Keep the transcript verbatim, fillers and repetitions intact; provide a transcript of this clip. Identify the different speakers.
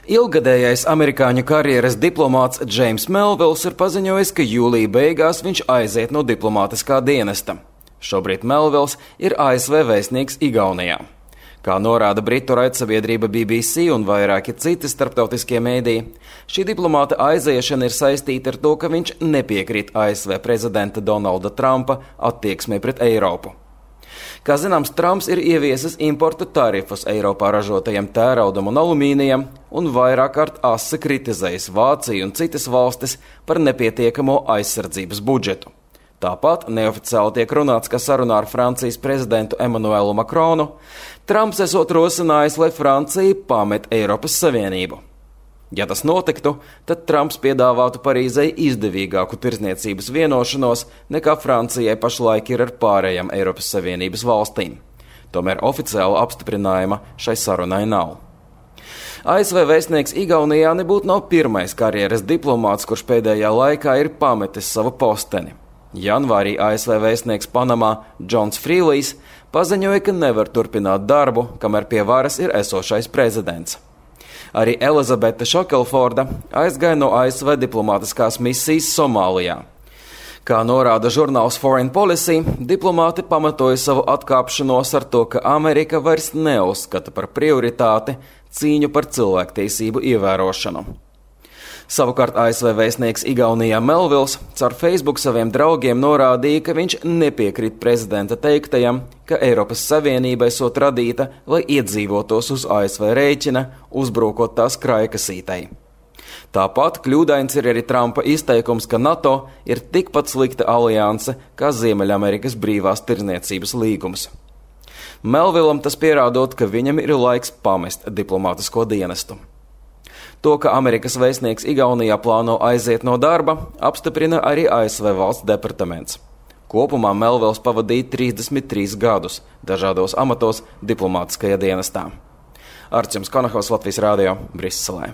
Speaker 1: Ilgadējais amerikāņu karjeras diplomāts Džeims Melvills ir paziņojis, ka jūlija beigās viņš aiziet no diplomātiskā dienesta. Šobrīd Melvills ir A S V vēstnieks Igaunijā. Kā norāda britu raidsabiedrība B B C un vairāki citi starptautiskie mēdīji, šī diplomāta aiziešana ir saistīta ar to, ka viņš nepiekrīt A S V prezidenta Donalda Trumpa attieksmei pret Eiropu. Kā zināms, Trumps ir ieviesis importa tarifus Eiropā ražotajam tēraudam un alumīnijam un vairāk kārt asi kritizējis Vāciju un citas valstis par nepietiekamo aizsardzības budžetu. Tāpat neoficiāli tiek runāts, ka sarunā ar Francijas prezidentu Emmanuelu Macronu Trumps esot rosinājis, lai Francija pamet Eiropas Savienību. Ja tas notiktu, tad Trumps piedāvātu Parīzei izdevīgāku tirdzniecības vienošanos nekā Francijai pašlaik ir ar pārējām Eiropas Savienības valstīm. Tomēr oficiāla apstiprinājuma šai sarunai nav. A S V vēstnieks Igaunijā nebūtu nav pirmais karjeras diplomāts, kurš pēdējā laikā ir pametis savu posteni. Janvārī A S V vēstnieks Panamā Džons Frīlijs paziņoja, ka nevar turpināt darbu, kamēr pie varas ir esošais prezidents. Arī Elizabete Šokelforda aizgāja no A S V diplomātiskās misijas Somālijā. Kā norāda žurnāls Foreign Policy, diplomāti pamatoja savu atkāpšanos ar to, ka Amerika vairs neuzskata par prioritāti cīņu par cilvēktiesību ievērošanu. Savukārt A S V vēstnieks Igaunijā Melvills caur Facebook saviem draugiem norādīja, ka viņš nepiekrīt prezidenta teiktajam, ka Eiropas Savienība esot radīta, lai iedzīvotos uz A S V rēķina, uzbrukot tās krājkasītei. Tāpat kļūdains ir arī Trumpa izteikums, ka NATO ir tikpat slikta alianse kā Ziemeļamerikas brīvās tirdzniecības līgums. Melvillam tas pierādot, ka viņam ir laiks pamest diplomātisko dienestu. To, ka Amerikas vēstnieks Igaunijā plāno aiziet no darba, apstiprina arī A S V valsts departaments. Kopumā Melvills pavadīja trīsdesmit trīs gadus dažādos amatos diplomātiskajā dienestā. Arčuns Konahaus, Latvijas Rādio, Briselē.